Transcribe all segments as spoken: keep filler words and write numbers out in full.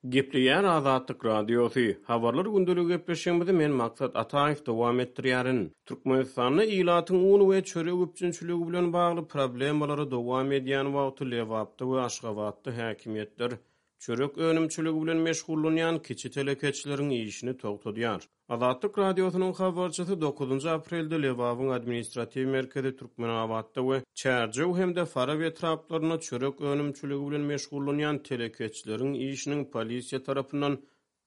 Gepleýär Azatlyk Radiosy. Habarlar gündeligi gepleşigimizi men Maksat Ataýew dowam etdirýärin. Türkmenistanda ilatyň un we çörek üpjünçiligi bilen bagly problemalary dowam edýän wagty Lebapda we Aşgabatda häkimiýetler çörek önümçiligi bilen meşgullanýan kiçi telekeçileriň işini togtadýar. Azatlyk Radiosynyň habarçysy dokuzynjy aprelde Lebabyň administratiw merkezi Türkmenabatda we Çärjew hem-de Farap etraplarynda çörek önümçiligi bilen meşgullanýan telekeçileriň işiniň polisiýa tarapyndan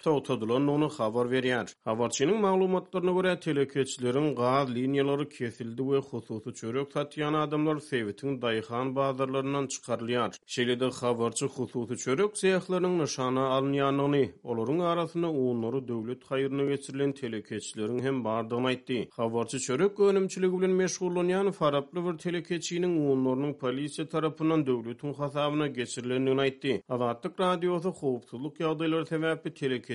togtadylandygyny habar berýär. Habarçynyň maglumatlaryna görä, telekeçileriň gaz liniýalary kesildi we hususy çörek satýan adamlar sebitiň daýhan bazarlaryndan çykarylýar. Şeýle-de habarçy hususy çörek sehleriniň nyşana alynýandygyny, olaryň arasynda unlary döwlet haýryna geçirilen telekeçileriň hem bardygyny aýtdy. Habarçy çörek önümçiligi bilen meşgullanýan faraply bir telekeçiniň unlarynyň polisiýa tarapyndan döwletiň hasabyna geçirilendigini aýtdy. Azatlyk Radiosy howpsuzlyk ýagdaýlary sebäpli telekeçiniň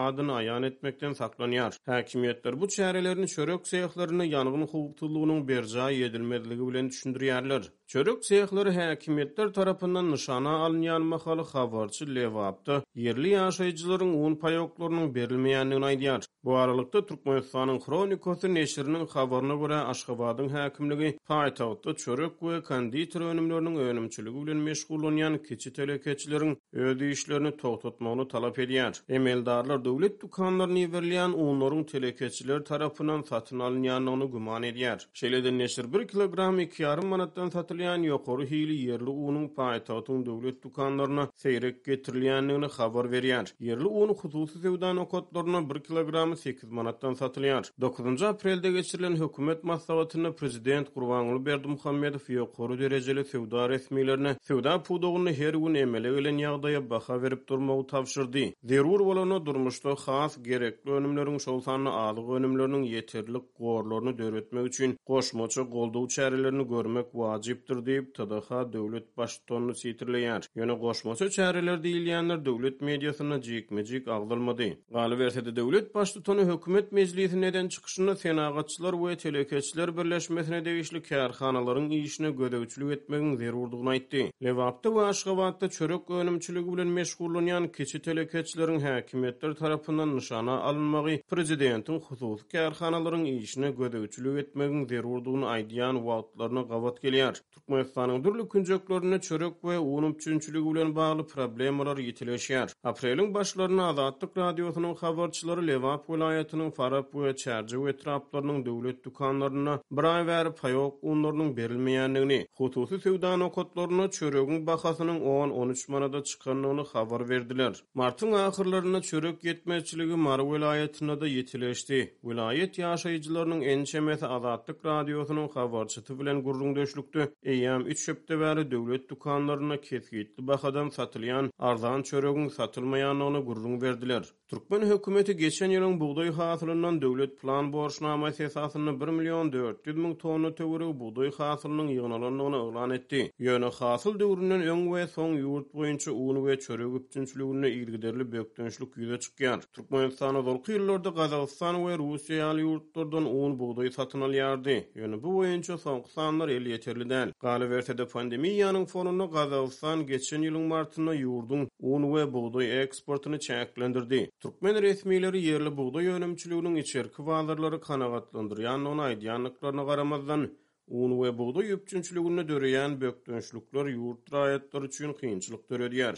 adyny aýan etmekden saklanýar. Häkimiýetler bu çärelerini çörek sehlerinde ýangyn howpsuzlygynyň berjaý edilmezligi bilen düşündirýärler. Çörek sehleri häkimiýetler tarapyndan nyşana alynýan mahaly habarçy Lebapda ýerli ýaşaýjylaryň un paýoklarynyň berilmeýändigini aýdýar. Bu aralykda Türkmenistanyň Hronikasy neşiriniň habaryna görä Aşgabadyň häkimligi paýtagtda çörek we konditer önümleriniň önümçiligi bilen meşgullanýan kiçi telekeçileriň öz işlerini togtatmagyny talap edýär. Emeldarlar döwlet dükanlaryna iberilýän unlaryň telekeçiler tarapyndan satyn alynýandygyny güman edýär. Şeýle-de neşir bir kilogram iki ýarym manatdan satylýan ýokary hili ýerli unuň paýtagtyň döwlet dükanlaryna seýrek getirilýändigini habar berýär. Ýerli un hususy söwda nokatlaryna bir kilogramy sekiz manatdan satylýar. Dokuzynjy aprelde geçirilen hökümet maslahatynda prezident Gurbanguly Berdimuhamedow ýokary derejeli söwda resmilerine söwda pudagynda her gün emele gelen ýagdaýa baha berip durmagy tabşyrdy. Zerur bolanda durmuşda has gerekli önümleriň, şol sanda azyk önümleriniň ýeterlik gorlaryny döretmek üçin goşmaça goldaw çärelerini görmek wajypdyr diýip, T D H döwlet baştutanyny sitirleýär. Ýöne goşmaça çäreler diýilýänler döwlet mediasynda jikme-jik agzalmady. Galyberse-de döwlet baştutany hökümet mejlisinde eden çykyşynda senagatçylar we telekeçiler birleşmesine degişli kärhanalaryň işine gözegçilik etmegiň zerurdygyny aýtdy. Lebapda we Aşgabatda çörek önümçiligi bilen meşgullanýan kiçi telekeçileriň häkimiýetler tarapyndan nyşana alynmagy prezidentiň hususy kärhanalaryň işine gözegçilik etmegiň zerurdygyny aýdýan wagtlaryna gabat gelýär. Türkmenistanyň dürli künjeklerinde çörek we un üpjünçiligi bilen bagly problemalar ýitileşýär. Apreliň başlarynda Azatlyk Radiosynyň habarçylary Lebap welaýatynyň Farap we Çärjew etraplarynyň döwlet dükanlarynda bir aý bäri paýok unlarynyň berilmeýändigini, hususy söwda nokatlarynda çöregiň bahasynyň on-on üç manada çykandygyny habar berdiler. Martyň ahyrlarynda çörek ýetmezçiligi Mary welaýatynda-da ýitileşdi. Welaýat ýaşaýjylarynyň ençemesi Azatlyk Radiosynyň habarçysy bilen gürrüňdeşlikde eýýäm üç hepde bäri döwlet dükanlarynda kesgitli bahadan satylýan arzan çöregiň satylmaýandygyny gürrüň berdiler. Türkmen hökümeti geçen ýylyň bugdaý hasylyndan döwlet plan borçnamasy esasynda bir million dört ýüz müň tonna töweregi bugdaý hasylynyň ýygnalandygyny yglan etdi. Ýöne hasyl döwründen öň we soň ýurt boýunça un we çörek üpjünçiliginde yzygiderli bökdençlik ýüze çykýar. Türkmenistan ozalky ýyllarda Gazagystan we Russiýa ýaly ýurtlardan un bugdaý satyn alýardy. Ýöne bu boýunça soňky sanlar elýeterli däl. Galyberse-de pandemiýanyň fonunda Gazagystan geçen ýylyň martynda ýurduň un we bugdaý eksportyny çäklendirdi. Türkmen resmileri ýerli bugdaý önümçiliginiň içerki bazarlary kanagatlandyrýandygyny aýdýandyklaryna garamazdan, un we bugdaý üpjünçiliginde döreýän bökdençlikler ýurt raýatlary üçin kynçylyk döredýär.